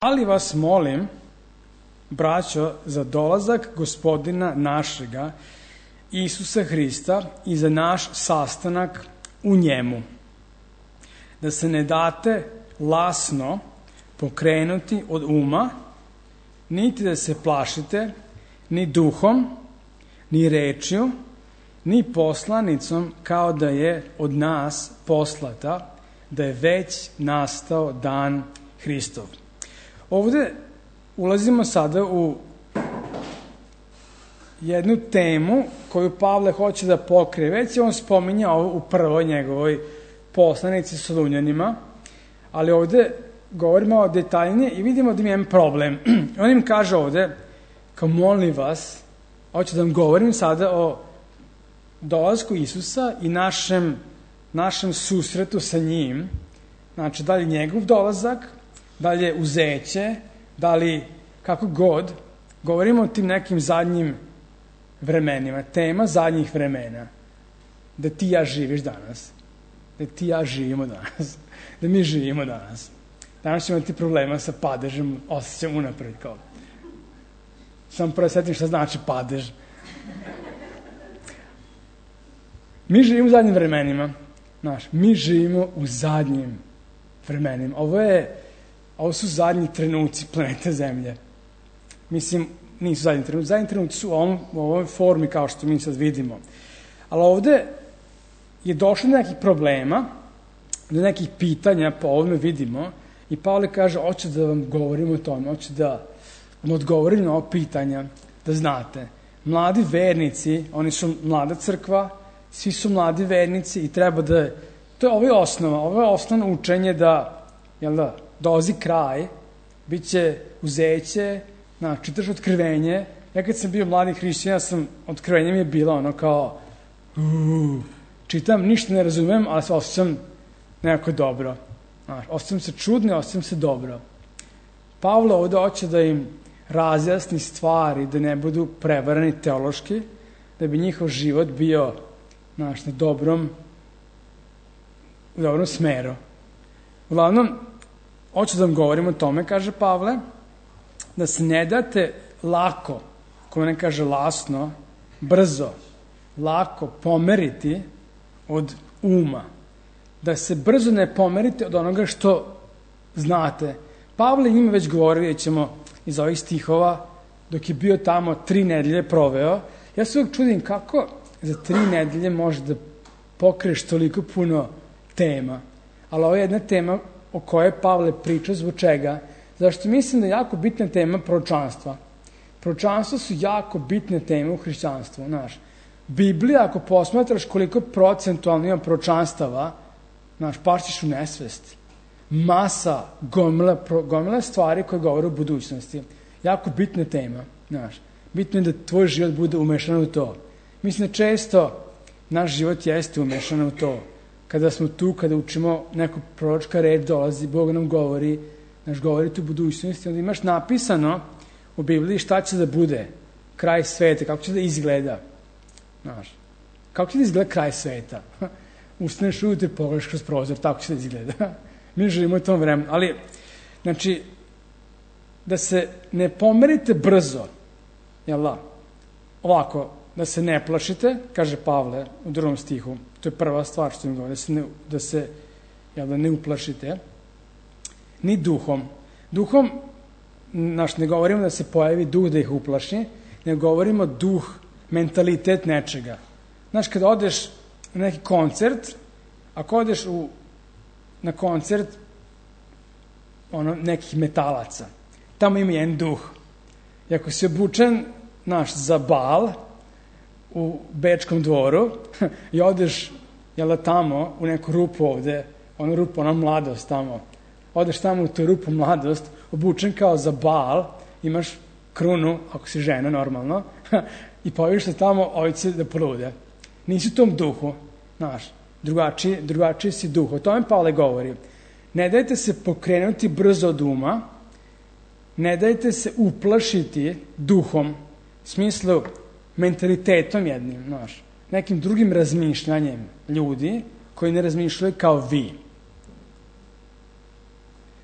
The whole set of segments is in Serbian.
Ali vas molim, braćo, za dolazak Gospodina našega, Isusa Hrista i za naš sastanak u njemu, da se ne date lasno pokrenuti od uma, niti da se plašite ni duhom, ni rečju, ni poslanicom, kao da je od nas poslata, da je već nastao dan Hristov. Ovde ulazimo sada u jednu temu koju Pavle hoće da pokrije. Već je on spominjao u prvoj njegovoj poslanici Solunjanima, ali ovde govorimo o detaljnije i vidimo da ima jedan problem. On im kaže ovde, kao molim vas, hoću da vam govorim sada o dolasku Isusa i našem susretu sa njim. Znači, da li njegov dolazak, da li je uzeće, da li kako god, govorimo o tim nekim zadnjim vremenima, tema zadnjih vremena, da ti i ja živiš danas, da ti i ja živimo danas, da mi živimo danas. Danas ćemo imati problema sa padežem, osjećam unapred kao. Samo prvo setim šta znači padež. Mi živimo u zadnjim vremenima, mi živimo u zadnjim vremenima. Ovo su zadnji trenuci planete Zemlje. Mislim, nisu zadnji trenuci. Zadnji trenuci su u ovoj formi kao što mi sad vidimo. Ali ovde je došlo do nekih problema, do nekih pitanja, po ovome vidimo, i Pavle kaže, hoće da vam govorim o tome, hoće da vam odgovorim na ovo pitanja, da znate. Mladi vernici, oni su mlada crkva, svi su mladi vernici i treba da... Ovo je osnova, ovo je osnovno učenje da, dolazi kraj, bit će uzeće, čitaš otkrivenje. Ja kad sam bio mladi hrišćan, otkrivenje mi je bilo ono kao, čitam, ništa ne razumem, ali se osjećam nekako dobro. Osjećam se čudno, osjećam se dobro. Pavle ovde hoće da im razjasni stvari, da ne budu prevarani teološki, da bi njihov život bio na dobrom smeru. Uglavnom, hoću da vam govorim o tome, kaže Pavle, da se ne date lako, ko ne kaže lasno, brzo, lako pomeriti od uma. Da se brzo ne pomerite od onoga što znate. Pavle njima već govorio, vidjet ćemo iz ovih stihova, dok je bio tamo 3 nedelje proveo. Ja se uvijek čudim kako za 3 nedelje može da pokriješ toliko puno tema. Ali ovo je jedna tema o kojoj Pavle priča, zbog čega? Zašto mislim da je jako bitna tema proročanstva. Proročanstva su jako bitne teme u hrišćanstvu. Biblija, ako posmatraš koliko procentualno ima proročanstava, pašćeš u nesvest. Masa, gomila stvari koje govore o budućnosti. Jako bitna tema. Bitno je da tvoj život bude umešan u to. Mislim da često naš život jeste umešan u to. Kada smo tu, kada učimo neku proročka reč, dolazi, Bog nam govori, govori tu budućnosti, onda imaš napisano u Bibliji šta će da bude kraj sveta, kako će da izgleda. Kako će da izgleda kraj sveta? Ustaneš ujutro, pogledaš kroz prozor, tako će da izgleda. Mi živimo u tom vremenu. Ali, da se ne pomerite brzo, ovako, da se ne plašite, kaže Pavle u 2. stihu, to je prva stvar što im govori, da se ne uplašite, ni duhom. Duhom, ne govorimo da se pojavi duh da ih uplaši, ne govorimo duh, mentalitet nečega. Kada odeš na neki koncert, ako odeš na koncert nekih metalaca, tamo ima jedan duh. I ako si obučen, za bal, u Bečkom dvoru i odeš tamo u neku rupu ovde, ona mladost tamo, odeš tamo u tu rupu mladost, obučen kao za bal, imaš krunu, ako si žena normalno, i pojaviš se tamo, ovi će da polude. Nisi u tom duhu, drugačiji si duh. O tome Pavle govori. Ne dajte se pokrenuti brzo od uma, ne dajte se uplašiti duhom, u smislu mentalitetom jednim, nekim drugim razmišljanjem ljudi koji ne razmišljaju kao vi.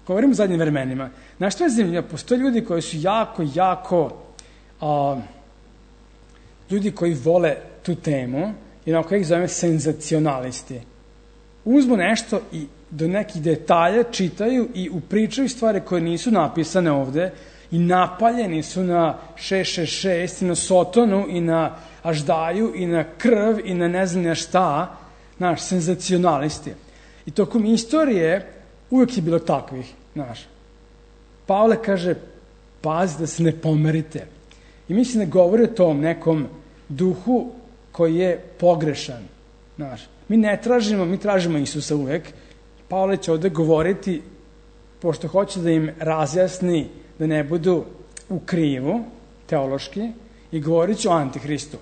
Govorim o zadnjim vremenima. Znaš što je zanimljivo? Postoje ljudi koji su jako ljudi koji vole tu temu i na koje ih zovem senzacionalisti. Uzmu nešto i do nekih detalja čitaju i upričaju stvari koje nisu napisane ovde i napaljeni su na 666 i na Sotonu i na Aždaju i na krv i na ne znam šta, znaš, senzacionalisti. I tokom istorije uvek je bilo takvih, znaš. Pavle kaže, pazi da se ne pomerite. I mislim da govori o tom nekom duhu koji je pogrešan, znaš. Mi tražimo Isusa uvek. Pavle će ovde govoriti, pošto hoće da im razjasni da ne budu u krivu, teološki, i govorit će o Antihristu.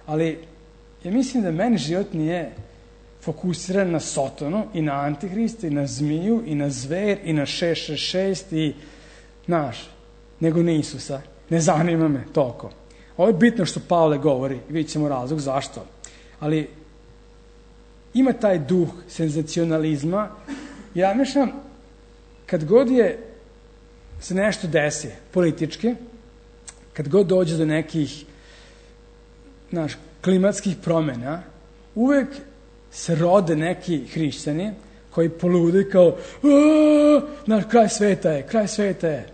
Ali ja mislim da meni život nije fokusiran na Sotonu i na Antihrista i na zmiju i na zver i na 666 i nego na Isusa. Ne zanima me toliko. Ovo je bitno što Pavle govori, vidjet ćemo razlog zašto. Ali ima taj duh senzacionalizma. Ja mislim, kad god se nešto desi politički, kad god dođe do nekih klimatskih promjena, uvek se rode neki hrišćani koji polude kao kraj sveta je.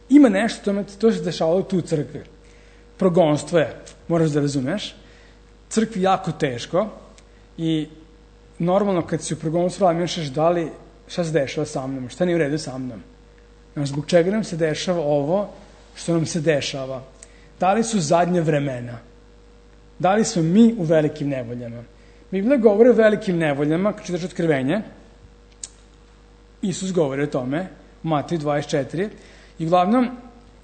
Ima nešto, to se dešavalo tu u crkvi. Progonstvo je, moraš da razumeš, crkvi jako teško i normalno kad si u progonstvu razmišljaš da li šta se dešava sa mnom, šta nije u redu sa mnom. Zbog čega nam se dešava ovo što nam se dešava? Da li su zadnje vremena? Da li smo mi u velikim nevoljama? Biblija govori o velikim nevoljama, kad čitaš Otkrivenje, Isus govori o tome, u Mateju 24, i uglavnom,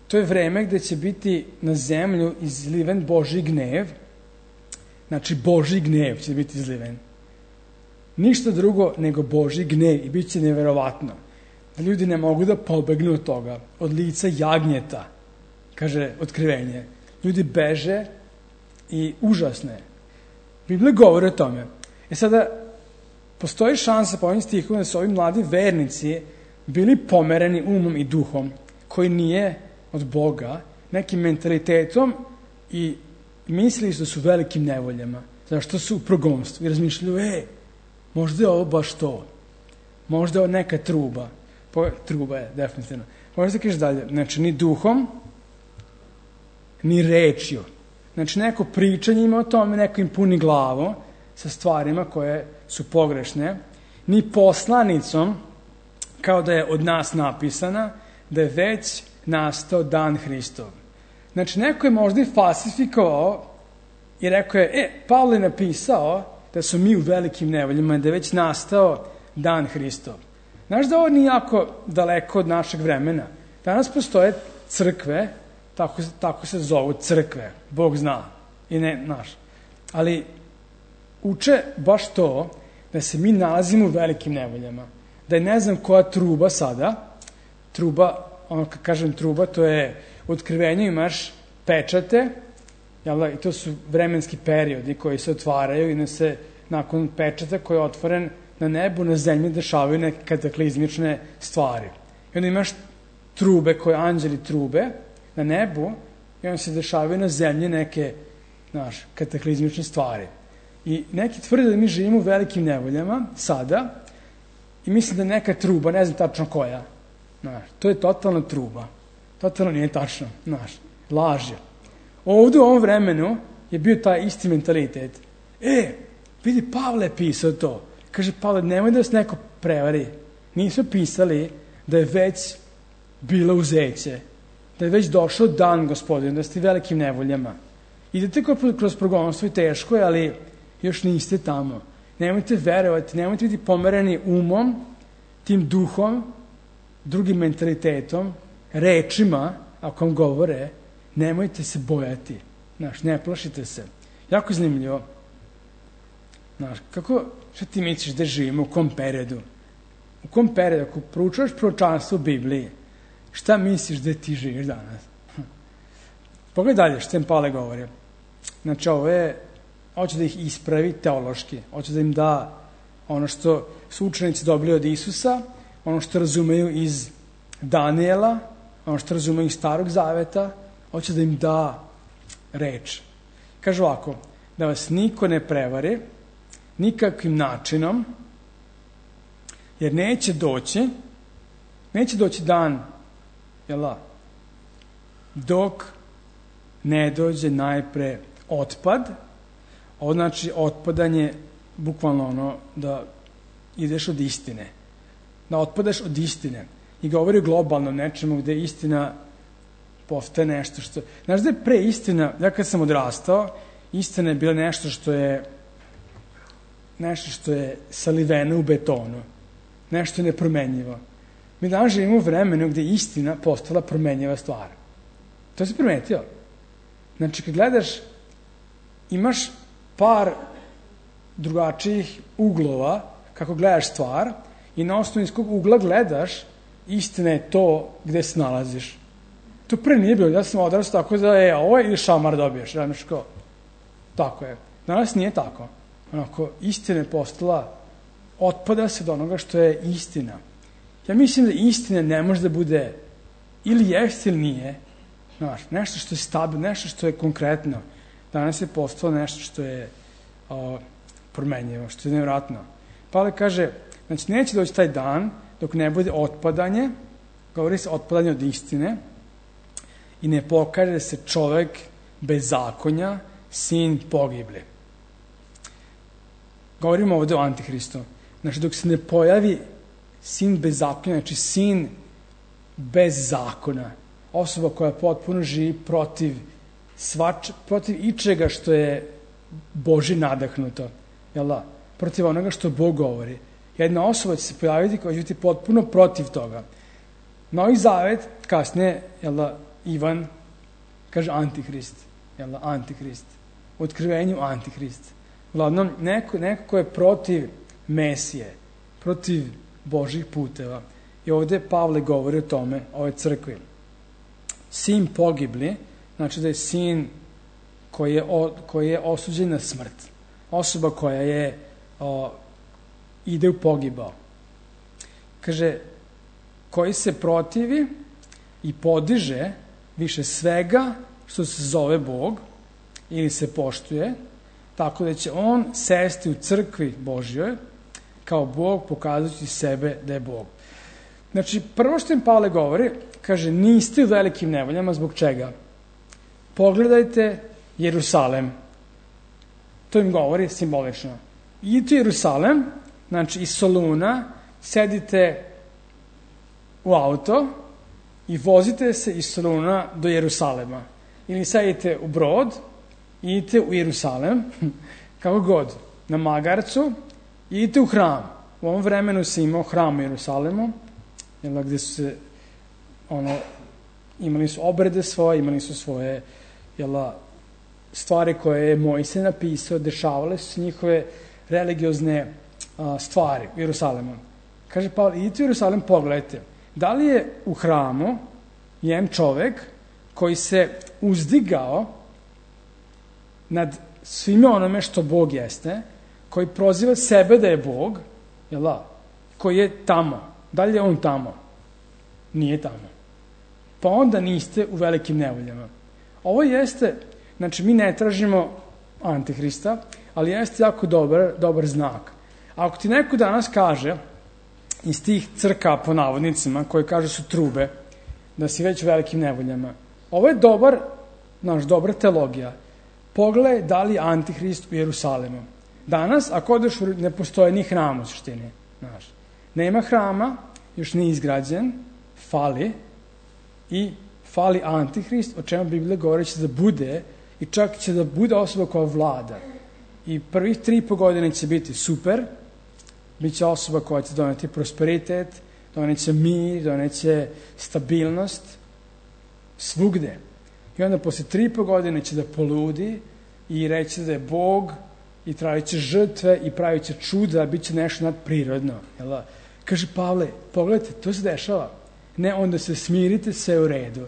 to je vreme gde će biti na zemlju izliven Božji gnev, znači Božji gnev će biti izliven. Ništa drugo nego Božji gnev i bit će neverovatno. Da ljudi ne mogu da pobegnu od toga, od lica jagnjeta, kaže Otkrivenje. Ljudi beže i užasno je. Biblija govori o tome. Sada, postoji šansa po ovim stihom da su ovi mladi vernici bili pomereni umom i duhom, koji nije od Boga, nekim mentalitetom i mislili su da su velikim nevoljama. Zašto su u progonstvu i razmišljaju, možda je ovo baš to. Možda je ovo neka truba. Truba je, definitivno. Možda kažeš dalje. Znači, ni duhom, ni rečju. Znači, neko pričanje ima o tome, neko im puni glavu sa stvarima koje su pogrešne. Ni poslanicom, kao da je od nas napisana, da je već nastao dan Hristov. Znači, neko je možda i falsifikovao i rekao je, Pavle je napisao da su mi u velikim nevoljama, da je već nastao dan Hristov. Znaš da ovo nije jako daleko od našeg vremena. Danas postoje crkve, tako se zovu crkve, Bog zna, i ne naš. Ali uče baš to da se mi nalazimo u velikim nevoljama. Da je ne znam koja truba sada, truba, kad kažem truba, to je u Otkrivenju imaš pečate, i to su vremenski periodi koji se otvaraju i se nakon pečata koji je otvoren na nebu, na zemlji dešavaju neke kataklizmične stvari. I onda imaš trube koje anđeli trube na nebu i onda se dešavaju na zemlji neke kataklizmične stvari. I neki tvrde da mi živimo u velikim nevoljama sada i mislim da neka truba, ne znam tačno koja, to je totalna truba. Totalno nije tačno, laž je. Ovdje u ovom vremenu je bio taj isti mentalitet. Vidi, Pavle je pisao to. Kaže, Pavle, nemoj da vas neko prevari. Nisu pisali da je već bilo uzeće, da je već došao dan, Gospodin, da ste velikim nevoljama. Idete kroz progonstvo i teško je, ali još niste tamo. Nemojte verovati, nemojte biti pomereni umom, tim duhom, drugim mentalitetom, rečima, ako vam govore, nemojte se bojati. Ne plašite se. Jako zanimljivo. Šta ti misliš da živimo, u kom periodu? U kom periodu, ako proučavaš proročanstvo u Bibliji, šta misliš da ti živiš danas? Pogledaj dalje što im Pavle govori. Znači, ovo je, hoće da ih ispravi teološki, hoće da im da ono što su učenici dobili od Isusa, ono što razumeju iz Daniela, ono što razumeju iz Starog Zaveta, hoće da im da reč. Kaže ovako, da vas niko ne prevari nikakvim načinom, jer neće doći dan, dok ne dođe najpre otpad. Ovo znači otpadanje, bukvalno ono da ideš od istine. Da otpadaš od istine. I govori globalno nečemu gde istina postaje nešto što... Znaš da je pre istina, ja kad sam odrastao, istina je bila nešto što je saliveno u betonu. Nešto je nepromenjivo. Mi danas živimo u vremenu gde je istina postala promenjiva stvar. To si primetio? Znači, kad gledaš, imaš par drugačijih uglova kako gledaš stvar i na osnovu iz kog ugla gledaš, istina je to gde se nalaziš. To pre nije bilo. Ja sam odrastao tako da je ovo ili šamar dobiješ. Tako je. Danas nije tako. Onako, istina je postala, otpada se do onoga što je istina. Ja mislim da istina ne može da bude ili jeste ili nije. Nešto što je stabilno, nešto što je konkretno. Danas je postalo nešto što je promenjivo, što je nevratno. Pavle kaže, znači neće doći taj dan dok ne bude otpadanje, govori se otpadanje od istine, i ne pokaže se čovek bez zakonja, sin pogibli. Govorimo ovde o Antihristu. Znači, dok se ne pojavi sin bez zakonja, znači sin bez zakona, osoba koja potpuno živi protiv ičega što je Boži nadahnuto, protiv onoga što Bog govori. Jedna osoba će se pojaviti koja će biti potpuno protiv toga. Novi Zavet, kasnije, Ivan kaže Antihrist, Antihrist. U Otkrivenju Antihrist. Uglavnom, neko ko je protiv Mesije, protiv Božih puteva. I ovde Pavle govori o tome, o ovoj crkvi. Sin pogibli, znači da je sin koji je osuđen na smrt. Osoba koja ide u pogibao. Kaže, koji se protivi i podiže više svega što se zove Bog ili se poštuje, tako da će on sesti u crkvi Božjoj kao Bog, pokazujući sebe da je Bog. Znači, prvo što im Pavle govori, kaže, niste u velikim nevoljama, zbog čega? Pogledajte Jerusalem. To im govori simbolično. Idite u Jerusalem, znači iz Soluna, sedite u auto i vozite se iz Soluna do Jerusalema. Ili sedite u brod i idite u Jerusalem, kako god, na magarcu, i idite u hram. U ovom vremenu se imao hram u Jerusalemu, gde su se, imali su obrede svoje, imali su svoje, stvari koje je Mojsije napisao, dešavale su se njihove religiozne stvari u Jerusalemu. Kaže Pavle, idite u Jerusalem, pogledajte. Da li je u hramu jedan čovek koji se uzdigao nad svime onome što Bog jeste, koji proziva sebe da je Bog, koji je tamo. Da li je on tamo? Nije tamo. Pa onda niste u velikim nevoljama. Ovo jeste, znači mi ne tražimo Antihrista, ali jeste jako dobar znak. Ako ti neko danas kaže, iz tih crka po navodnicima, koje kaže su trube, da si već u velikim nevoljama, ovo je dobra teologija. Pogledaj da li je Antihrist u Jerusalemu. Danas, ako odeš, ne postoje ni hram u suštini. Nema hrama, još nije izgrađen, fali Antihrist, o čemu Biblija govori će da bude, i čak će da bude osoba koja vlada. I prvih 3,5 godine će biti super, bit će osoba koja će doneti prosperitet, doneće mir, doneće stabilnost, svugde. I onda posle 3,5 godine će da poludi i reći da je Bog i trajit će žrtve i pravit će čuda, bit će nešto nadprirodno. Kaže Pavle, pogledajte, to se dešava. Ne, onda se smirite, sve u redu.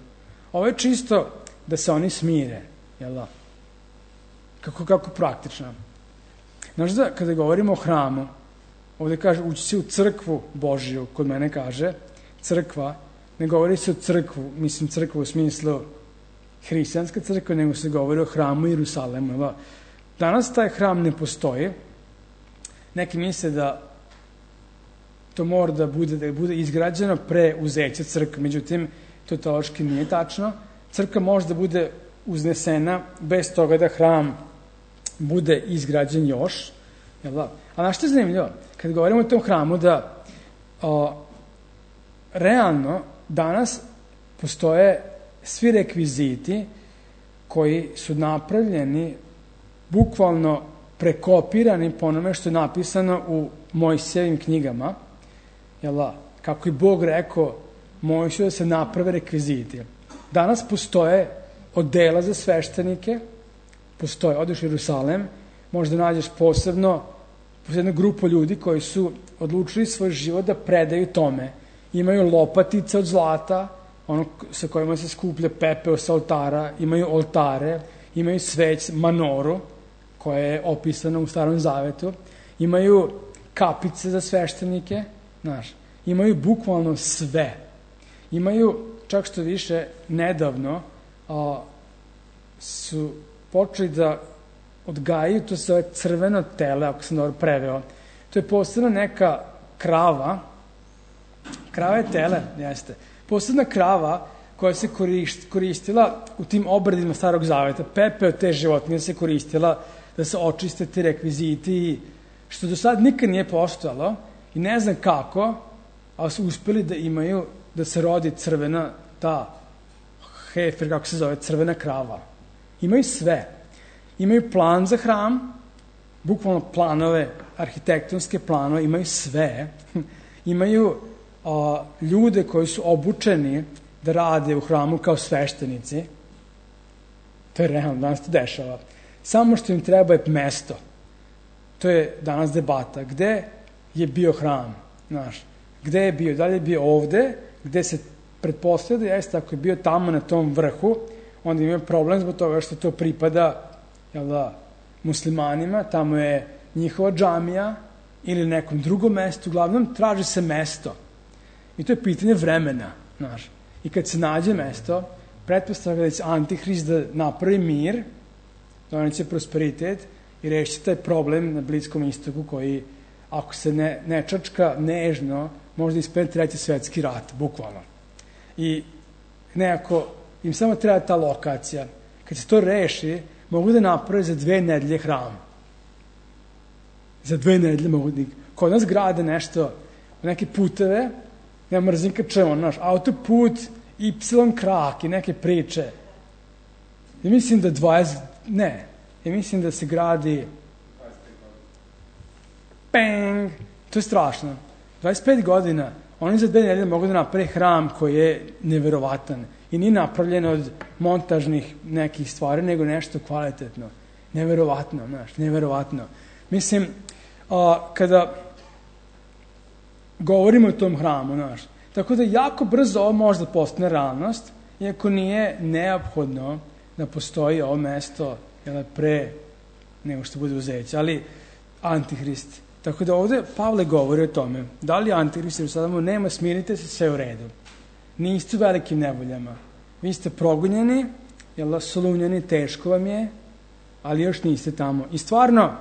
Ovo je čisto da se oni smire. Kako praktično. Znaš da, kada govorimo o hramu, ovde kaže ući se u crkvu Božiju, kod mene kaže crkva, ne govori se o crkvu, mislim crkvu u smislu hrišćanska crkva, nego se govori o hramu Jerusalemu. Danas taj hram ne postoji. Neki misle da to mora da bude izgrađeno pre uzeća crkve, međutim, to teološki nije tačno. Crkva može da bude uznesena bez toga da hram bude izgrađen još. A na što je zanimljivo? Kad govorimo o tom hramu, da realno danas postoje svi rekviziti koji su napravljeni, bukvalno prekopirani po onome što je napisano u Mojsijevim knjigama, kako i Bog rekao Mojsiju da se naprave rekviziti. Danas postoje odela za sveštenike, odeš u Jerusalem, možda nađeš posebno jednu grupu ljudi koji su odlučili svoj život da predaju tome. Imaju lopatice od zlata, ono sa kojima se skuplja pepeo sa oltara, imaju oltare, imaju sveć, manoru, koja je opisana u Starom Zavetu, imaju kapice za sveštenike, imaju bukvalno sve. Imaju, čak što više, nedavno su počeli da odgajaju, to se zove crveno tele, ako sam dobro preveo. To je posebna neka krava je tele, jeste. Posebna krava koja se koristila u tim obredima Starog Zaveta. Pepe od te životinje se koristila da se očiste ti rekviziti, što do sad nikad nije postojalo i ne znam kako, ali su uspeli da imaju, da se rodi crvena, ta hefer, kako se zove, crvena krava. Imaju sve. Imaju plan za hram, bukvalno planove, arhitektonske planove, imaju sve. Imaju ljude koji su obučeni da rade u hramu kao sveštenici. To je realno, danas to dešava. Samo što im treba je mesto. To je danas debata. Gde je bio hram? Gde je bio? Da li je bio ovde, gde se pretpostavlja da jeste, ako je bio tamo na tom vrhu, onda ima problem zbog toga što to pripada muslimanima, tamo je njihova džamija ili nekom drugom mestu, uglavnom traži se mesto. I to je pitanje vremena. I kad se nađe mesto, pretpostavlja da će Antihrist da napravi mir, doneće prosperitet i reši taj problem na Bliskom istoku koji, ako se ne čačka nežno, možda ispred Treći svetski rat, bukvalno. I nekako im samo treba ta lokacija. Kad se to reši, mogu da naprave za 2 nedelje hram. Za 2 nedelje mogu da... Kod nas grade nešto, neke puteve, ja mrzim kad čujemo, autoput, Y krak i neke priče. Ja mislim da ja mislim da se gradi peng, to je strašno. 25 godina, oni za 2 nedelje mogu da naprave hram koji je neverovatan i nije napravljen od montažnih nekih stvari, nego nešto kvalitetno. Neverovatno. Mislim, kada govorimo o tom hramu, tako da jako brzo ovo može da postane realnost, iako nije neophodno da postoji ovo mesto pre nego što bude uzeće, ali Antihrist. Tako da ovde Pavle govori o tome, da li Antihrist ili sadamo, nema, smirite se, sve u redu. Niste u velikim nevoljama. Vi ste progonjeni, solunjeni, teško vam je, ali još niste tamo. I stvarno,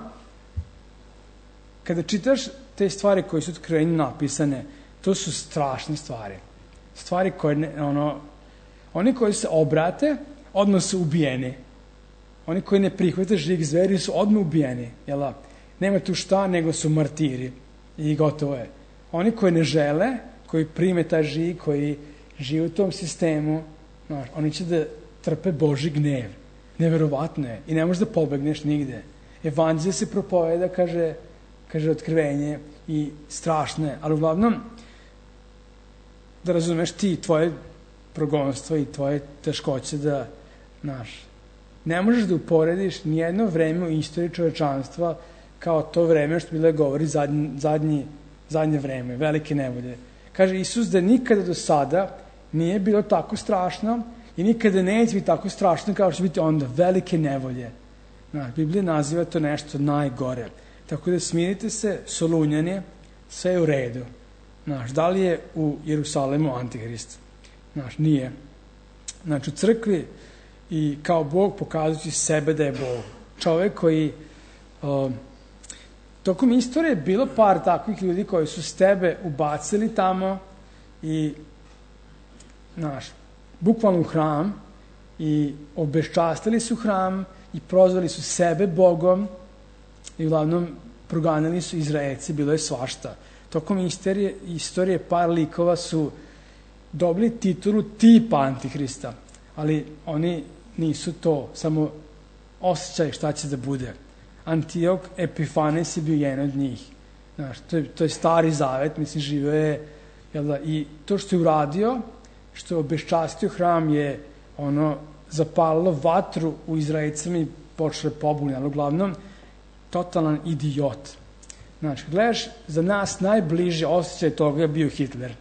kada čitaš te stvari koje su otkrivenju napisane, to su strašne stvari. Stvari koje, oni koji se obrate, odmah su ubijeni. Oni koji ne prihvate žig zveri su odmah ubijeni. Nema tu šta, nego su martiri. I gotovo je. Oni koji ne žele, koji prime taj žig, koji žive u tom sistemu, oni će da trpe Božji gnev. Neverovatno je. I ne možeš da pobegneš nigde. Evanđelje se propoveda, kaže otkrivenje, i strašno je. Ali uglavnom, da razumeš ti, tvoje progonstvo i tvoje teškoće da, ne možeš da uporediš nijedno vreme u istoriji čovečanstva kao to vreme što Biblia govori zadnje vreme, velike nevolje. Kaže Isus da nikada do sada nije bilo tako strašno i nikada neće biti tako strašno kao što će biti onda, velike nevolje. Biblija naziva to nešto najgore. Tako da smirite se, solunjani, sve je u redu. Znaš, da li je u Jerusalemu Antihrist? Znaš, nije. Znači, u crkvi i kao Bog pokazujući sebe da je Bog. Čovek koji tokom istorije je bilo par takvih ljudi koji su s tebe ubacili tamo i znaš, bukvalno u hram i obeščastili su hram i prozvali su sebe Bogom i uglavnom proganjali su Izraelci, bilo je svašta. Tokom istorije par likova su dobili titulu tipa Antihrista, ali oni nisu to, samo osjećaj šta će da bude. Antiok Epifanes je bio jedan od njih. Znaš, to je stari zavet, mislim, živeo je, jel da, i to što je uradio, što je obeščastio hram je zapalilo vatru u Izraelcima i počelo pobune, ali uglavnom totalan idiot. Znači, gledaš, za nas najbliže osjećaj toga je bio Hitler.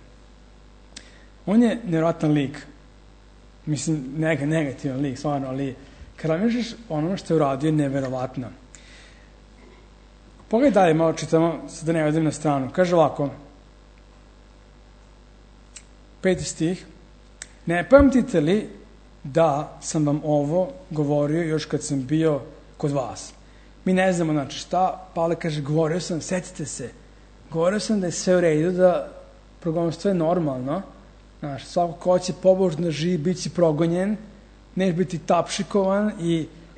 On je nevjerojatan lik. Mislim, negativan lik, stvarno, ali kada misliš ono što je uradio je nevjerovatno. Pogledaj dalje, malo čitamo, da ne odem na stranu. Kaže ovako, 5. stih, ne pamtite li da sam vam ovo govorio još kad sam bio kod vas? Mi ne znamo, znači, šta, Pavle kaže, govorio sam, setite se, govorio sam da je sve u redu, da progonstvo je normalno, znaš, svako ko će pobožno živi, bit će progonjen, neš biti tapšikovan,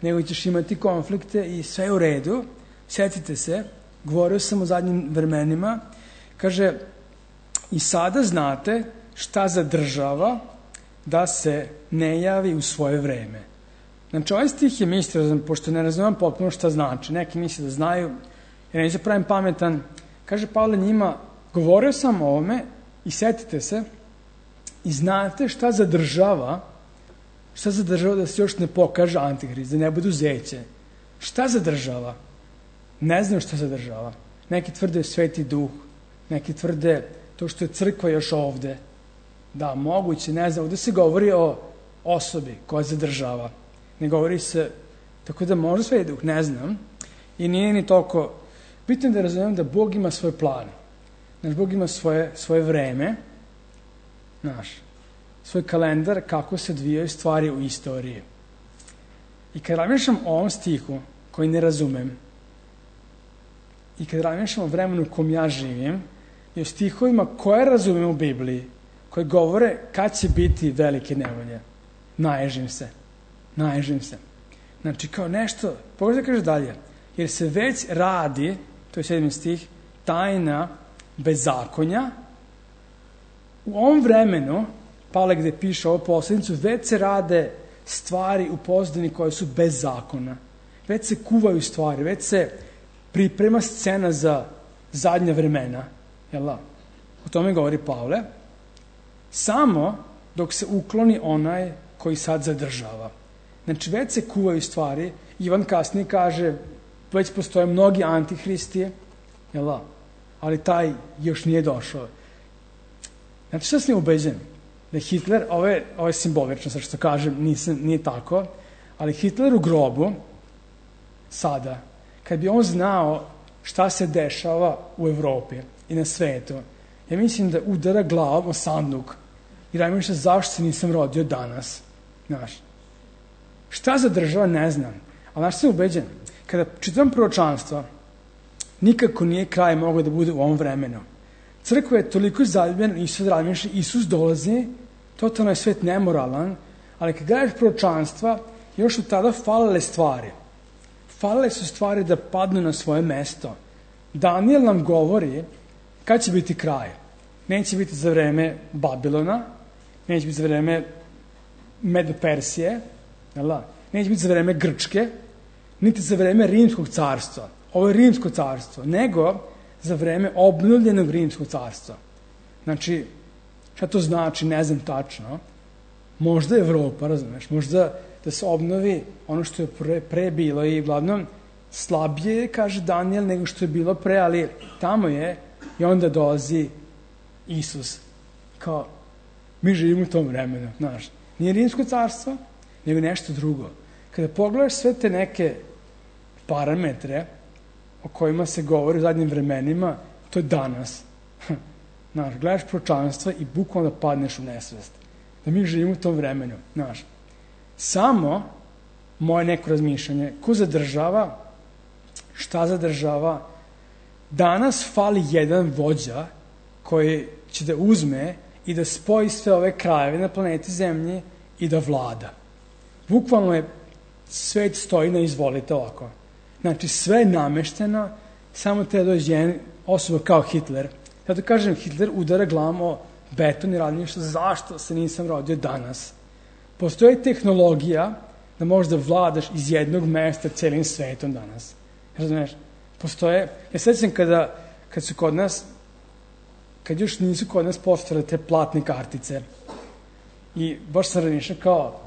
nego ćeš imati konflikte i sve je u redu, setite se, govorio sam o zadnjim vremenima, kaže, i sada znate šta zadržava da se ne javi u svoje vreme. Znači, ovaj stih je misteriozan, pošto ne razumem potpuno šta znači. Neki misle da znaju, jer neće pravim pametan. Kaže Pavle njima, govorio sam o ovome i setite se i znate šta zadržava da se još ne pokaže Antihrist, da ne bude zeće. Šta zadržava? Ne znam šta zadržava. Neki tvrde Sveti Duh, neki tvrde to što je crkva još ovde. Da, moguće, ne znam, ovde se govori o osobi koja zadržava. Ne govori se, tako da možda Sveti Duh, ne znam. I nije ni toliko, bitno je da razumijem da Bog ima svoj plan. Znaš, Bog ima svoje vreme, znaš, svoj kalendar kako se odvijaju stvari u istoriji. I kad razmišljam o ovom stihu, koji ne razumem, i kad razmišljam o vremenu u kom ja živim, i o stihovima koje razumem u Bibliji, koji govore kad će biti velike nevolje, naježim se. Znači, kao nešto, pogledaj kaže dalje, jer se već radi, to je 7. stih, tajna bezakonja. U ovom vremenu, Pavle gde piše ovo poslednicu, već se rade stvari u pozadini koje su bez zakona. Već se kuvaju stvari, već se priprema scena za zadnja vremena. Jel da? O tome govori Pavle. Samo dok se ukloni onaj koji sad zadržava. Znači, već se kuvaju stvari. Ivan kasnije kaže, već postoje mnogi antihristi, jel da? Ali taj još nije došao. Znači, šta sam ubeđen? Da Hitler, ovo je simbolično, sad što kažem, nije tako, ali Hitler u grobu, sada, kad bi on znao šta se dešava u Evropi i na svetu, ja mislim da udara glavom o sanduk i razmišlja zašto se nisam rodio danas. Znaš, šta zadržava, ne znam. Ali znaš, sam ubeđen, kada čitam proročanstva, nikako nije kraj mogao da bude u ovom vremenu. Crkva je toliko zaljubljena, Isus dolazi, totalno je svet nemoralan, ali kad gledaš proročanstva, još su tada falile stvari. Falile su stvari da padnu na svoje mesto. Danijel nam govori kad će biti kraj. Neće biti za vreme Babilona, neće biti za vreme Medo-Persije, neće biti za vreme Grčke, niti za vreme Rimskog carstva. Ovo je Rimsko carstvo, nego za vreme obnovljenog Rimskog carstva. Znači, šta to znači, ne znam tačno. Možda Evropa, razumeš, možda da se obnovi ono što je pre bilo i uglavnom slabije, kaže Danijel, nego što je bilo pre, ali tamo je i onda dolazi Isus. Kao, mi živimo u tom vremenu, znaš. Nije Rimsko carstvo, nego nešto drugo. Kada pogledaš sve te neke parametre o kojima se govori u zadnjim vremenima, to je danas. Znaš, gledaš proročanstva i bukvalno da padneš u nesvest. Da mi živimo u tom vremenu. Znaš, samo moje neko razmišljanje, ko zadržava, šta zadržava, danas fali jedan vođa koji će da uzme i da spoji sve ove krajeve na planeti Zemlji i da vlada. Bukvalno je svet stoji na izvolite ovako. Znači, sve je namešteno, samo treba doći jedan osoba kao Hitler. Zato kažem, Hitler udara glavom o beton i radi nešto, zašto se nisam rodio danas? Postoji tehnologija da možeš da vladaš iz jednog mesta celim svetom danas. Razumeš? Postoje, ja sećam kad su kod nas, kad još nisu kod nas postojale te platne kartice i baš sam razmišljao kao,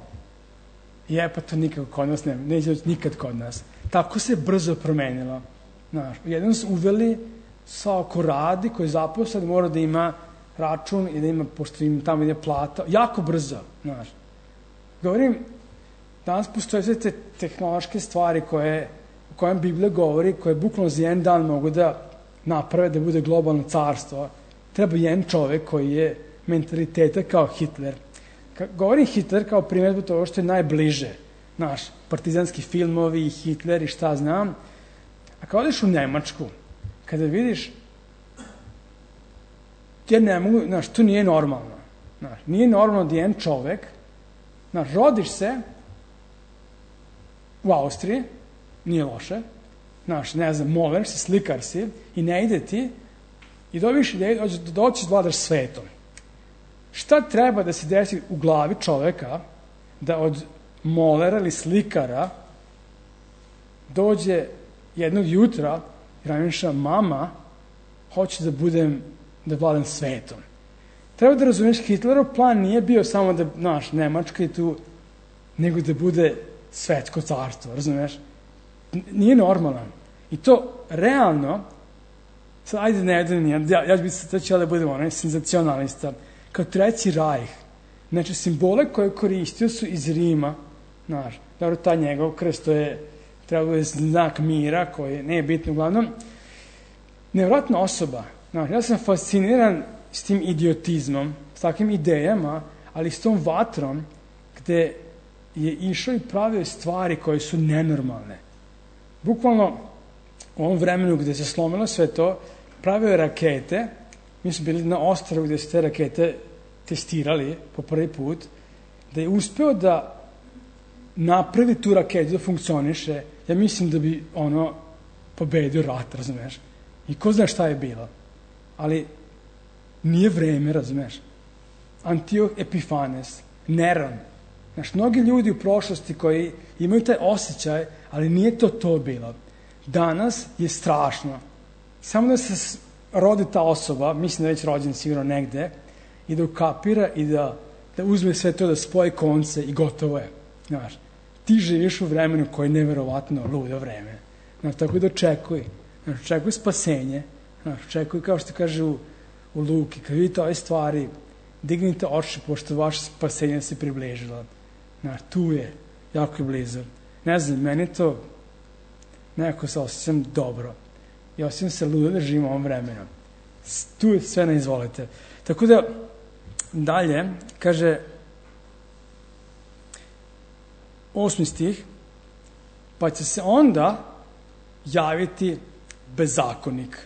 pa to nikako kod nas nema, neće nikad kod nas. Tako se brzo promenilo. Znaš, jednom su uveli svako radi koji zaposlen mora da ima račun i da ima, pošto im tamo ide plata, jako brzo, znaš. Govorim, danas postoje sve te tehnološke stvari o kojem Biblija govori, koje bukvalno za jedan dan mogu da naprave da bude globalno carstvo. Treba jedan čovek koji je mentaliteta kao Hitler. Govorim Hitler kao primjer zbog toga što je najbliže, znaš, partizanski filmovi, Hitler i šta znam. A kada odeš u Nemačku, kada vidiš, ja ne mogu, znaš, to nije normalno. Znaš, nije normalno da jedan čovek, znaš, rodiš se u Austriji, nije loše, znaš, ne znam, moler si, slikar si i ne ide ti i dobiš ideju da doćiš vladaš svetom. Šta treba da se desi u glavi čoveka da od molera ili slikara dođe jednog jutra i razmišlja, mama, hoće da vladam svetom. Treba da razumiješ, Hitlerov plan nije bio samo da, znaš, Nemačka je tu, nego da bude svetsko carstvo, razumiješ? Nije normalan. I to realno, sad ajde ja ću biti da budem onaj senzacionalista, kao Treći rajh. Znači, simbole koje je koristio su iz Rima, znaš, dobro, ta njegov krst, to je treba je znak mira, koji nije bitno, uglavnom, nevjerojatna osoba. Znaš, ja sam fasciniran s tim idiotizmom, s takvim idejama, ali s tom vatrom, gde je išao i pravio stvari koje su nenormalne. Bukvalno, u ovom vremenu gde se slomilo sve to, pravio je rakete, mi smo bili na ostrvu gde su te rakete testirali po prvi put, da je uspeo da napravi tu raketu da funkcioniše, ja mislim da bi pobedio rat, razumeš? I ko zna šta je bilo. Ali nije vreme, razumeš? Antioh Epifanes, Neron. Znaš, mnogi ljudi u prošlosti koji imaju taj osjećaj, ali nije to bilo. Danas je strašno. Samo da se rodi ta osoba, mislim da je već rođen sigurno negde, i da ukapira i da uzme sve to, da spoji konce i gotovo je. Znaš, ti živiš u vremenu koje je neverovatno ludo vreme. Znaš, tako da očekuj. Znaš, očekuj spasenje. Znaš, očekuj, kao što kaže u Luki, kad vidite ove stvari, dignite oči, pošto vaše spasenje se približilo. Znaš, tu je, jako je blizu. Ne znam, meni to nekako se osjećam dobro. I osjećam se ludo da živim u ovom vremenu. Tu je sve na izvolite. Tako da, dalje, kaže 8. stih, pa će se onda javiti bezakonik.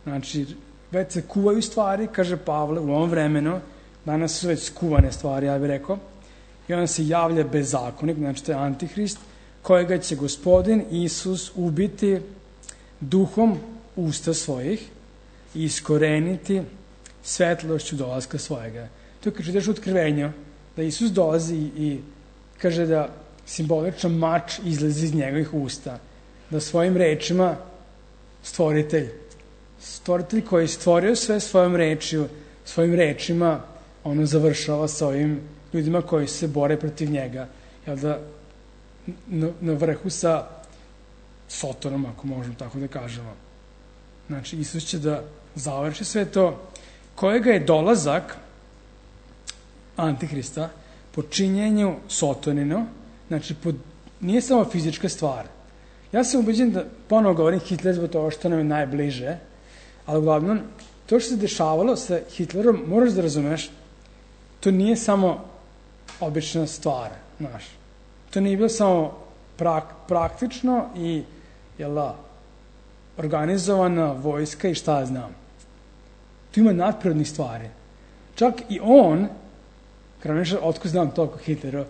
Znači, već se kuvaju stvari, kaže Pavle, u ovom vremenu, danas su već skuvane stvari, ja bih rekao, i onda se javlja bezakonik, znači to je Antihrist, kojega će Gospodin Isus ubiti duhom usta svojih i iskoreniti svetlošću dolaska svojega. To je kad čitaš u Otkrivenju, da Isus dolazi i kaže da simboličan mač izlazi iz njegovih usta, da svojim rečima stvoritelj koji je stvorio sve svojim rečima, ono završava sa ovim ljudima koji se bore protiv njega, jel da na vrhu sa Sotonom, ako možemo tako da kažemo. Znači, Isus će da završi sve to, kojega je dolazak Antihrista po činjenju Sotonino, znači nije samo fizička stvar. Ja sam ubeđen da, ponovo govorim Hitler zbog toga što nam je najbliže, Ali uglavnom, to što se dešavalo sa Hitlerom, moraš da razumeš, to nije samo obična stvar, znaš. To nije bilo samo praktično i, organizovana vojska i šta ja znam. Tu ima nadprirodnih stvari. Čak i on, kada nešto, otko znam toliko Hitlera,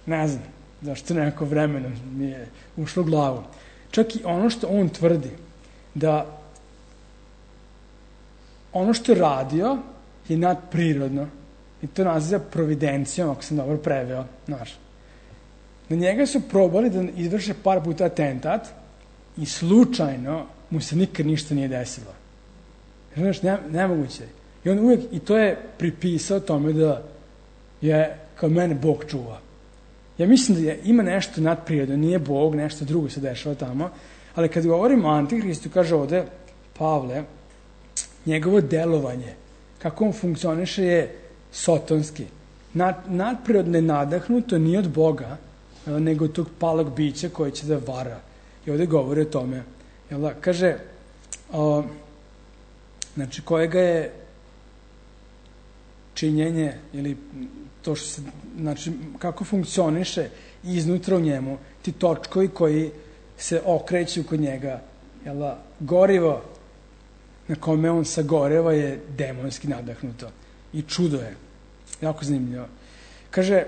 ne znam, zašto neko vremena mi je ušlo u glavu. Čak i ono što on tvrdi, da ono što je radio je nadprirodno i to naziva providencijom, ako sam dobro preveo, znaš. Na njega su probali da izvrše par puta atentat i slučajno mu se nikad ništa nije desilo. Znaš, nemoguće. I on uvijek, i to je pripisao tome da je kao mene Bog čuva. Ja mislim da ima nešto nadprirodno, nije Bog, nešto drugo se dešava tamo, ali kad govorimo o Antihristu, kaže ovde Pavle, njegovo delovanje, kako on funkcioniše je sotonski. Nadprirodno je nadahnuto nije od Boga, nego od tog palog bića koje će da vara. I ovde govori o tome. Kaže, znači, kojega je činjenje ili to što se, znači, kako funkcioniše iznutra u njemu, ti točkovi koji se okreću kod njega, gorivo na kome on sagoreva je demonski nadahnuto. I čudo je. Jako zanimljivo. Kaže,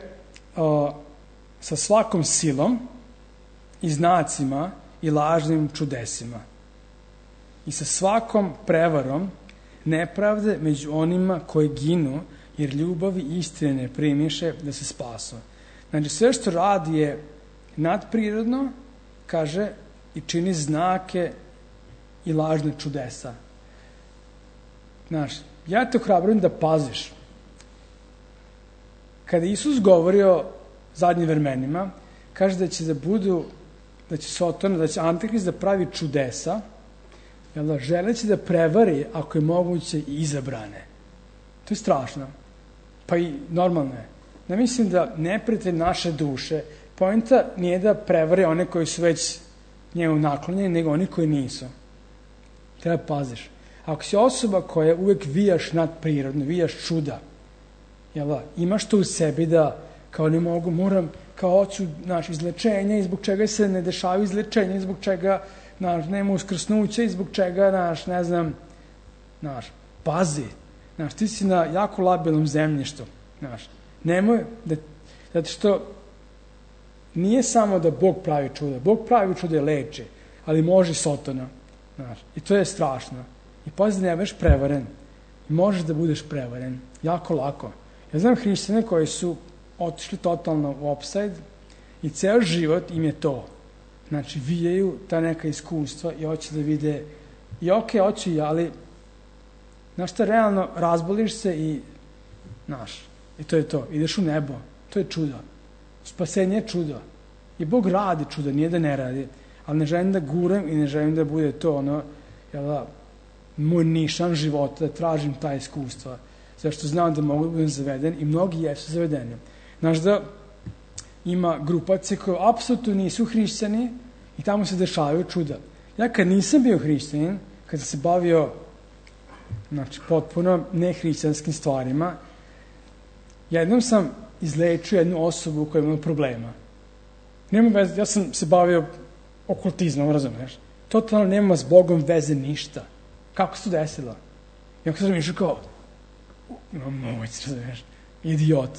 sa svakom silom i znacima i lažnim čudesima i sa svakom prevarom nepravde među onima koji ginu, jer ljubavi istine ne primiše da se spasu. Znači, sve što radi je nadprirodno, kaže, i čini znake i lažne čudesa. Znaš, ja te ohrabrujem da paziš. Kada Isus govori o zadnjim vremenima, kaže da će da će Sotona, da će Antihrist da pravi čudesa, želeći da prevari, ako je moguće, i izabrane. To je strašno. Pa i normalno je. Ne mislim da neprijatelj naše duše, poenta nije da prevari one koji su već njemu naklonjeni, nego oni koji nisu. Treba paziš. Ako si osoba koja uvek vijaš nadprirodno, vijaš čuda, imaš to u sebi da kao ne mogu, moram, kao hoću izlečenja i zbog čega se ne dešavaju izlečenja i zbog čega nema uskrsnuća i zbog čega, ne znam, pazi, ti si na jako labilnom zemljištu, nemoj, zato što nije samo da Bog pravi čuda, Bog pravi čuda i leči, ali može i Sotona, i to je strašno. I pazi da ne budeš prevaren, i možeš da budeš prevaren, jako lako. Ja znam hrišćane koji su otišli totalno u opsajd i ceo život im je to. Znači, vijaju ta neka iskustva i hoće da vide i hoću i, ali znaš šta, realno razboliš se i i to je to. Ideš u nebo. To je čudo. Spasenje je čudo. I Bog radi čudo, nije da ne radi. Ali ne želim da guram i ne želim da bude to moj nišan života, da tražim ta iskustva. Zašto znam da mogu da budem zaveden i mnogi jesu zavedeni. Znaš da ima grupacije koje apsolutno nisu hrišćani i tamo se dešavaju čuda. Ja kad nisam bio hrišćanin, kad sam se bavio potpuno nehrišćanskim stvarima, jednom sam izlečio jednu osobu koja ima problema. Nema veze, ja sam se bavio okultizmom, razumeš? Totalno nema s Bogom veze ništa. Kako se to desilo? I onda sam išao kao, imam moć, razumeš? Idiot.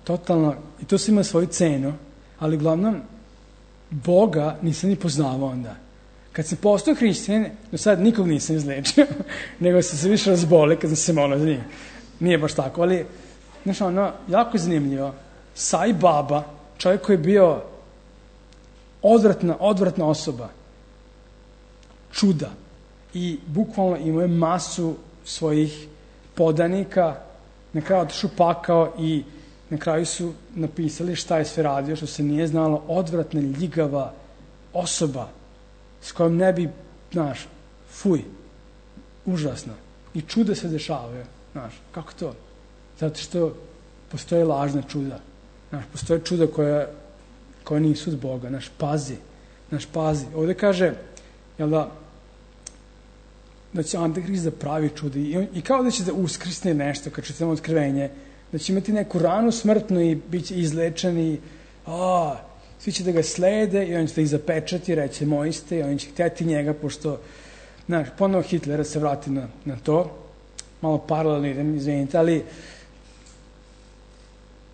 Totalno, i to se ima svoju cenu, ali uglavnom, Boga nisam ni poznavao onda. Kad sam postao hrišćanin, do sad nikog nisam izlečio, nego sam se više razbolio kad sam se molio za njih. Nije baš tako, ali, znaš, jako zanimljivo. Sai Baba, čovjek koji je bio odvratna osoba, čuda, i bukvalno imao je masu svojih podanika, na kraju otišao pakao i na kraju su napisali šta je sve radio, što se nije znalo, odvratna, ljigava osoba s kojom ne bi, fuj, užasno. I čuda se dešavaju, kako to? Zato što postoje lažna čuda. Postoje čuda koja nisu od Boga. Pazi. Ovde kaže, da će Antihrist da pravi čuda i kao da će da uskrsne nešto kad čitamo Otkrivenje, da će imati neku ranu smrtnu i bit će izlečen i svi će da ga slede i on će da ih zapečati, reće moji ste, i oni će htjeti njega, pošto ponovo Hitlera se vrati na to, malo paralelno idem, izvinite, ali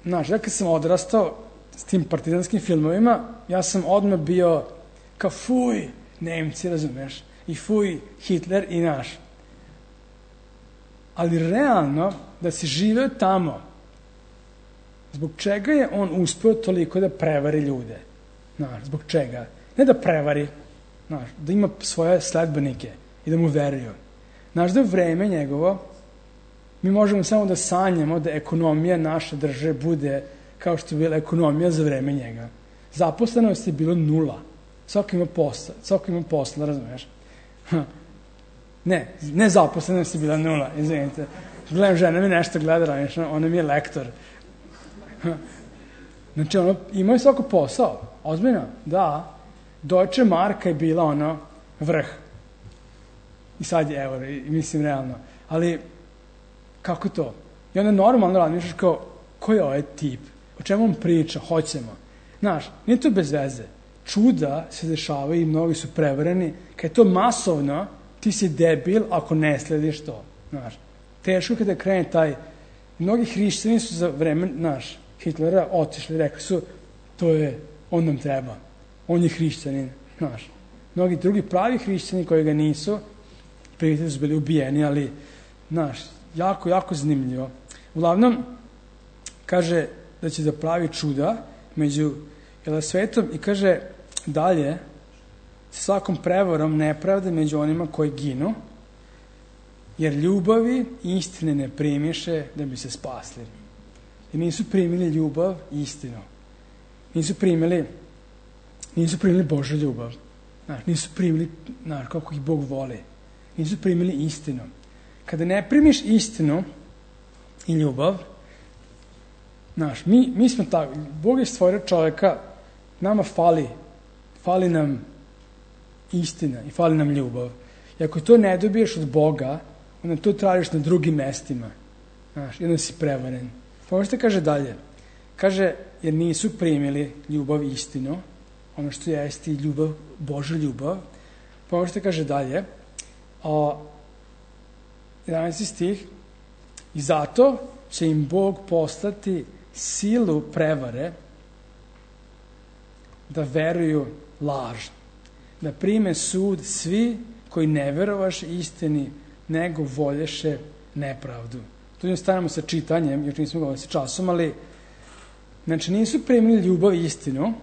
ja kad sam odrastao s tim partizanskim filmovima, ja sam odmah bio kao fuj, Nemci, razumeš, i fuj, Hitler i naš. Ali realno, da si živeo tamo, zbog čega je on uspeo toliko da prevari ljude? Zbog čega? Ne da prevari, da ima svoje sledbenike i da mu veruju. Da je vreme njegovo, mi možemo samo da sanjamo da ekonomija naše države bude kao što je bila ekonomija za vreme njega. Zaposlenost je bilo 0. Svako ima posla, razumiješ? Ne zaposlenost je bila 0, izvinite. Gledam, žena mi nešto gleda, ona mi je lektor. Znači, imao je svako posao, ozbiljno, da. Deutsche Marka je bila vrh. I sad je euro, mislim realno. Ali, kako to? I onda normalno razmišljaš kao, ko je ovaj tip? O čemu on priča? Hoćemo. Znaš, nije to bez veze. Čuda se dešavaju i mnogi su prevareni. Kad je to masovno, ti si debil ako ne slediš to. Znaš, teško kada krene taj... Mnogi hrišćani su za vreme, Hitlera otišli, rekli su, on nam treba. On je hrišćanin, znaš. Mnogi drugi pravi hrišćani koji ga nisu, prijatelji su bili ubijeni, ali, znaš, jako, jako zanimljivo. Uglavnom, kaže da će da pravi čuda među svetom i kaže dalje, sa svakom prevarom nepravde među onima koji ginu, jer ljubavi i istine ne primiše da bi se spasli. I nisu primili ljubav i istinu. Nisu primili Božju ljubav. Nisu primili, kako ih Bog voli. Nisu primili istinu. Kada ne primiš istinu i ljubav, mi smo tako, Bog je stvorio čovjeka, nama fali nam istina i fali nam ljubav. I ako to ne dobiješ od Boga, onda to tražiš na drugim mestima. I onda si prevaren. Možete kaže dalje. Kaže, jer nisu primili ljubav i istinu, ono što jeste i ljubav, Božja ljubav. Možete kaže dalje. 11. stih. I zato će im Bog poslati silu prevare da veruju laž. Da prime sud svi koji ne verovaš istini, nego volješe nepravdu. Tu ne stanemo sa čitanjem, još nismo govorili sa časom, ali znači nisu primili ljubav i istinu,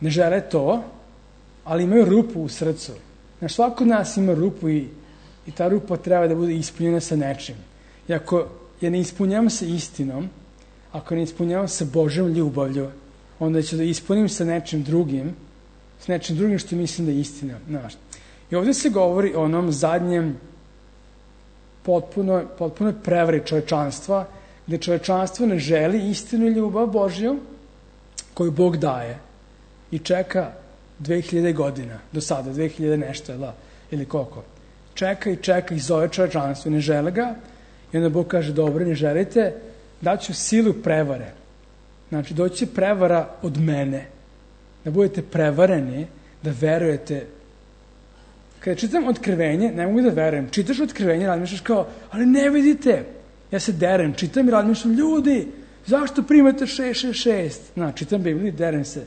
ne žele to, ali imaju rupu u srcu. Znači, svako od nas ima rupu i ta rupa treba da bude ispunjena sa nečim. I ako je ne ispunjavam sa istinom, ako ne ispunjavam sa Božjom ljubavlju, onda ću da ispunim sa nečim drugim što mislim da je istina. I ovdje se govori o onom zadnjem potpuno prevari čovečanstva, gde čovečanstvo ne želi istinu i ljubav Božju koju Bog daje i čeka 2000 godina, do sada, 2000 nešto, ili koliko. Čeka i zove čovečanstvo, ne žele ga, i onda Bog kaže, dobro, ne želite, daću silu prevare. Znači, doći će prevara od mene, da budete prevareni, da verujete. Kada čitam Otkrivenje, ne mogu da verujem. Čitaš Otkrivenje, razmišljaš kao, ali ne vidite, ja se derem, čitam i razmišljam, ljudi, zašto primate 666? Čitam Bibliju i derem se.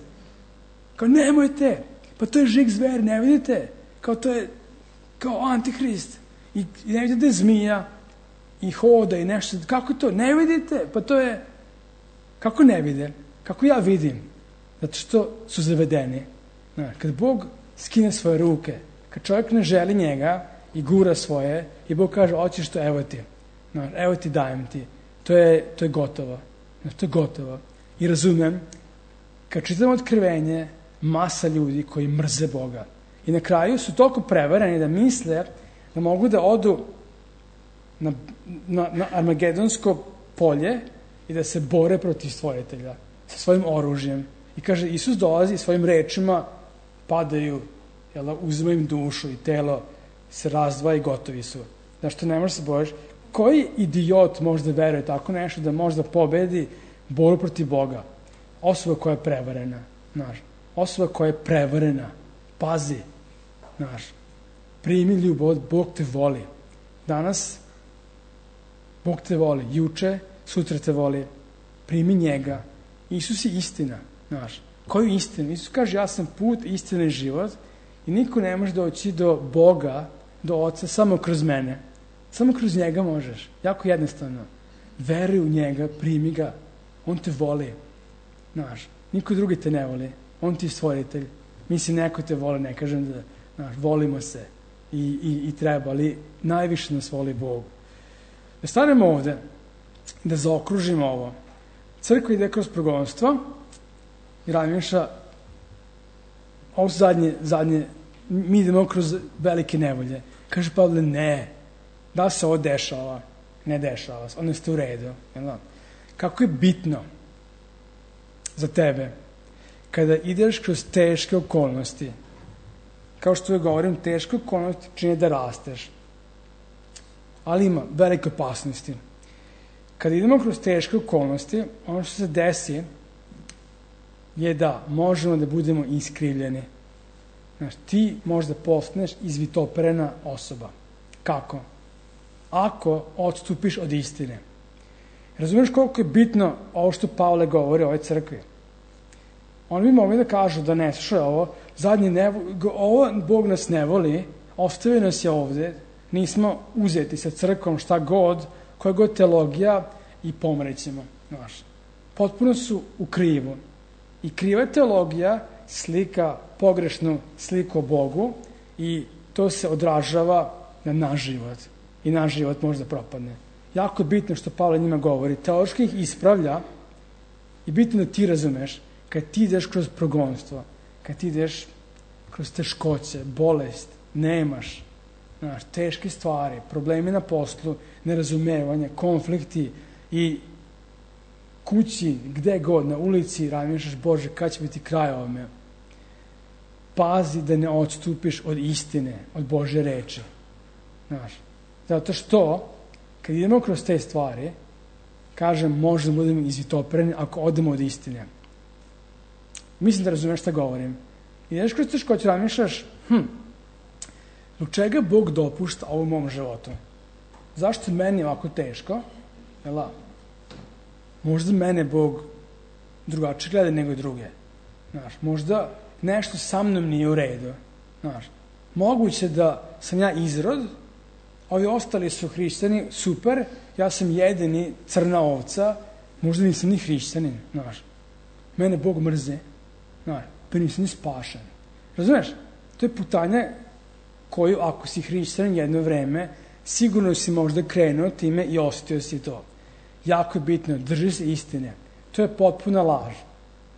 Kao, nemojte, pa to je žig zver, ne vidite? Kao, to je kao Antihrist. I ne vidite da je zmija i hoda i nešto. Kako to? Ne vidite? Pa to je... Kako ne vide? Kako ja vidim? Zato što su zavedeni. Kad Bog skine svoje ruke, kad čovjek ne želi njega i gura svoje, i Bog kaže, hoćeš to, evo ti, dajem ti. To je gotovo. To je gotovo. I razumem, kad čitam Otkrivenje, masa ljudi koji mrze Boga. I na kraju su toliko prevareni da misle da mogu da odu na Armagedonsko polje i da se bore protiv stvoritelja sa svojim oružjem. I kaže, Isus dolazi i svojim rečima padaju, uzima im dušu i telo se razdvaja i gotovi su. Zašto ne možeš se bojiš? Koji idiot može da veruje tako nešto, da može da pobedi borbu protiv Boga? Osoba koja je prevarena, znaš. Osoba koja je prevarena. Pazi, znaš. Primi ljubav, Bog te voli. Danas Bog te voli. Juče, sutra te voli. Primi njega. Isus je istina, znaš. Koju istinu? Isus kaže, ja sam put, istina i život i niko ne može doći do Boga, do Oca, samo kroz mene. Samo kroz njega možeš. Jako jednostavno. Veruj u njega, primi ga. On te voli. Znaš, niko drugi te ne voli. On ti je stvoritelj. Mislim, neko te voli, ne kažem da, znaš, volimo se i treba, ali najviše nas voli Bog. Da stanemo ovde, da zaokružimo ovo. Crkva ide kroz progonstvo i Rajmiša, ovo su zadnje, mi idemo kroz velike nevolje. Kaže Pavle, ne, da se ovo dešava, ne dešava se, ono ste u redu. Kako je bitno za tebe kada ideš kroz teške okolnosti, kao što joj govorim, teške okolnosti čine da rasteš, ali ima velike opasnosti. Kada idemo kroz teške okolnosti, ono što se desi je da možemo da budemo iskrivljeni. Znaš, ti možda postaneš izvitoperena osoba. Kako? Ako odstupiš od istine. Razumiješ koliko je bitno ovo što Pavle govori o ovoj crkvi? Oni bi mogli da kažu da ne, slušaj ovo, ovo Bog nas ne voli, ostavio nas je ovde, nismo uzeti sa crkvom šta god, koja god teologija i pomrećemo. Znaš, potpuno su u krivu. I kriva teologija slika pogrešnu sliku o Bogu i to se odražava na naš život. I naš život može da propadne. Jako je bitno što Pavle njima govori. Teološki ih ispravlja i bitno da ti razumeš kad ti ideš kroz progonstvo, kad ti ideš kroz teškoće, bolest, nemaš, znaš, teške stvari, problemi na poslu, nerazumevanje, konflikti i kući, gde god, na ulici, razmišljaš, Bože, kad će biti kraj ovome? Pazi da ne odstupiš od istine, od Božje reči. Znaš, zato što, kad idemo kroz te stvari, kažem, možda budemo izvitopereni ako odemo od istine. Mislim da razumeš šta govorim. Ideš kroz teškoće, razmišljaš, zbog čega Bog dopušta ovo u mom životu? Zašto meni je ovako teško? Jela, možda mene Bog drugačije gleda nego druge. Znaš, možda nešto sa mnom nije u redu. Znaš, moguće da sam ja izrod, ovi ostali su hrišćani, super, ja sam jedini crna ovca, možda nisam ni hrišćanin, znaš. Mene Bog mrze, znaš, pa nisam ni spašen. Razumeš? To je putanja koju, ako si hrišćanin jedno vreme, sigurno si možda krenuo time i osetio si to. Jako je bitno, drži se istine. To je potpuna laž.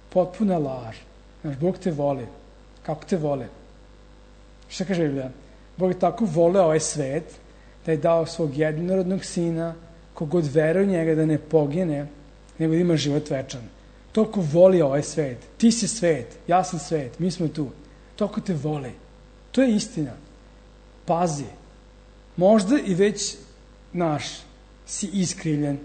Potpuna laž. Znaš, Bog te voli. Kako te voli? Šta kaže Biblija? Bog je tako voleo ovaj svet da je dao svog jednorodnog sina, kogod veruje u njega da ne pogine, nego da ima život večan. Toliko voli ovaj svet. Ti si svet, ja sam svet, mi smo tu. Toliko te voli. To je istina. Pazi. Možda i već, naš, si iskrivljen.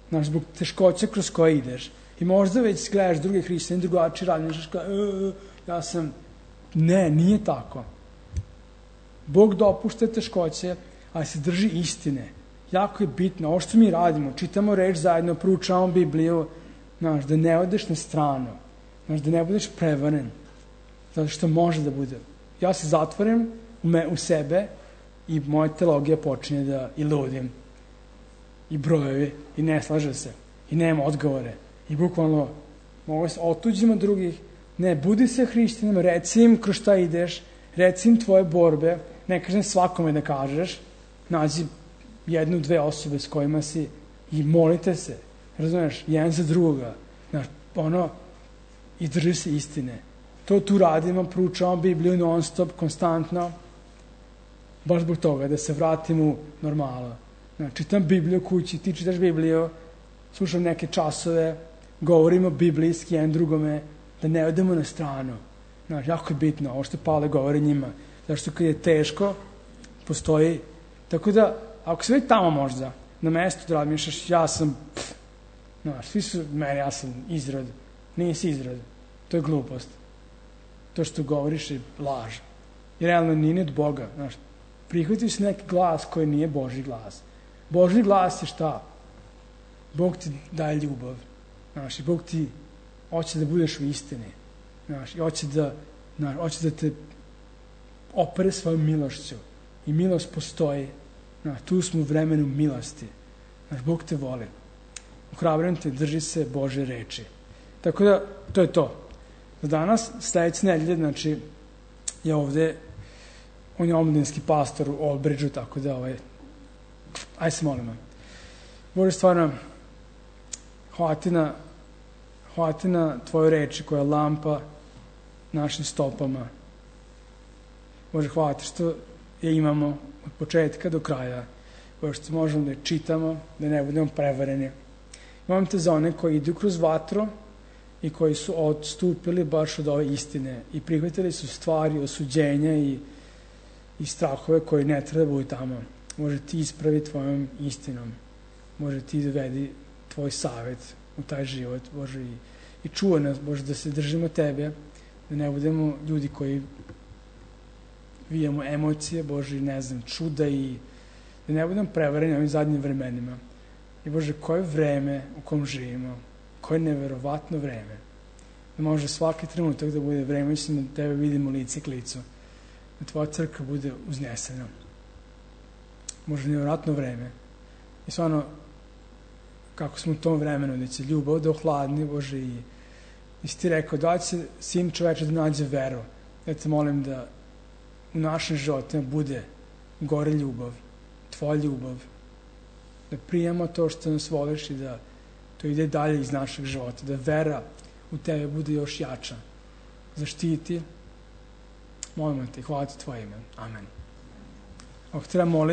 Znaš, zbog teškoća kroz koje ideš. I možda već gledaš druge hrišćane, drugačije radniš, ja sam... Ne, nije tako. Bog dopušta teškoće, ali se drži istine. Jako je bitno. Ovo što mi radimo, čitamo reč zajedno, proučavamo Bibliju, znaš, da ne odeš na stranu. Znaš, da ne budeš prevaren. Zato što može da bude. Ja se zatvorim u sebe i moja teologija počinje da i ludim. I brojevi, i ne slaže se. I nema odgovore. I bukvalno mogu se otuđimo od drugih. Ne, budi se hrišćanim, reci im kroz šta ideš, reci im tvoje borbe, ne kažem svakome da kažeš, nađi jednu, dve osobe s kojima si i molite se, razumeš, jedan za druga, znaš, i drži se istine. To tu radimo, proučavamo Bibliju non stop, konstantno, baš zbog toga, da se vratim u normalu. Znaš, čitam Bibliju kući, ti čitaš Bibliju, slušam neke časove, govorimo biblijski jedan drugome, da ne odemo na stranu. Znaš, jako je bitno, ovo što Pavle govori njima. Zašto kad je teško, postoji. Tako da, ako se već tamo možda, na mestu da razmišljaš, ja sam, svi su meni, ja sam izrod. Nisi izrod. To je glupost. To što govoriš je laž. I realno nije od Boga. Prihvatio si neki glas koji nije Božji glas. Božji glas je šta? Bog ti daje ljubav. I Bog ti hoće da budeš u istini. I hoće da te opere svojom milošću. I milost postoji. Tu smo u vremenu milosti. Bog te voli. Ohrabrujem te, drži se Božje reči. Tako da, to je to. Za danas, sledeće nedelje, je ovde, on je omladinski pastor u Old Bridgeu, tako da, aj se molimo. Bože, stvarno, hvala na tvoje reči koja je lampa našim stopama. Bože, hvala ti što je imamo od početka do kraja. Bože, što možemo da je čitamo, da ne budemo prevareni. Molim te za one koji idu kroz vatru i koji su odstupili baš od ove istine i prihvatili su stvari, osuđenja i strahove koji ne treba da budu tamo. Može ti ispravi tvojom istinom. Može ti dovedi tvoj savet u taj život, Bože, i čuva nas, Bože, da se držimo tebe, da ne budemo ljudi koji vijamo emocije, Bože, čuda i da ne budemo prevareni ovim zadnjim vremenima. I Bože, koje vreme u kom živimo, koje neverovatno vreme, da može svaki trenutak da bude vreme, da tebe vidimo lice k licu, da tvoja crkva bude uznesena. Može neverovatno vreme. I stvarno, kako smo u tom vremenu, da će ljubav da ohladni, Bože, i si ti rekao, da će sin čoveče da nađe veru. Ja te molim da u našim životima bude gore ljubav, tvoja ljubav, da prijemo to što nas voliš i da to ide dalje iz našeg života, da vera u tebe bude još jača. Zaštiti, molimo te, hvala ti tvoje ime. Amen. Ako treba moliti,